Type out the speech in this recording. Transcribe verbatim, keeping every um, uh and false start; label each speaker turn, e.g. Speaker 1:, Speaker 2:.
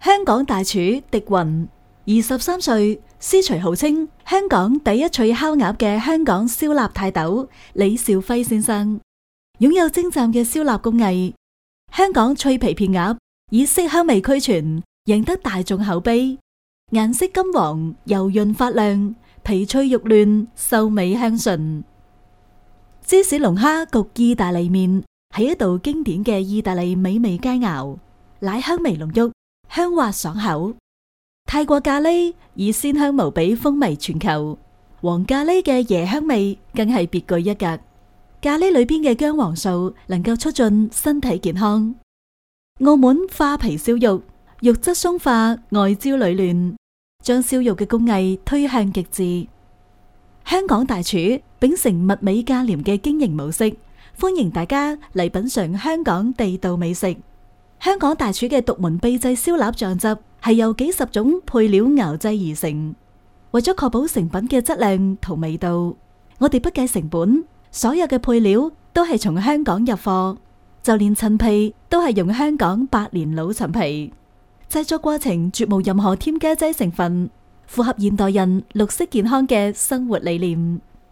Speaker 1: 香港大廚狄雲，二十三歲，師隨號稱香港第一脆烤鴨嘅香港燒臘泰斗李兆輝先生，擁有精湛嘅燒臘工藝。香港脆皮片鴨以色香味俱全，贏得大眾口碑，顏色金黃，油潤發亮，皮脆肉嫩，秀美香醇。芝士龍蝦焗意大利麵係一道經典嘅意大利美味佳肴，奶香味濃郁，香滑爽口。泰國咖喱以鮮香無比風靡全球，黃咖喱嘅椰香味更係別具一格。咖喱裏邊嘅薑黃素能夠促進身體健康。澳門花皮燒肉，肉質鬆化，外焦裏嫩，將燒肉嘅工藝推向極致。香港大廚秉承物美價廉嘅經營模式，歡迎大家嚟品嘗香港地道美食。香港大廚嘅獨門秘製燒臘醬汁係由幾十種配料熬製而成，為咗確保成品嘅質量同味道，我哋不計成本，所有嘅配料都係從香港入貨，就連陳皮都係用香港百年老陳皮。製作過程絕無任何添加劑成分，符合現代人綠色健康嘅生活理念。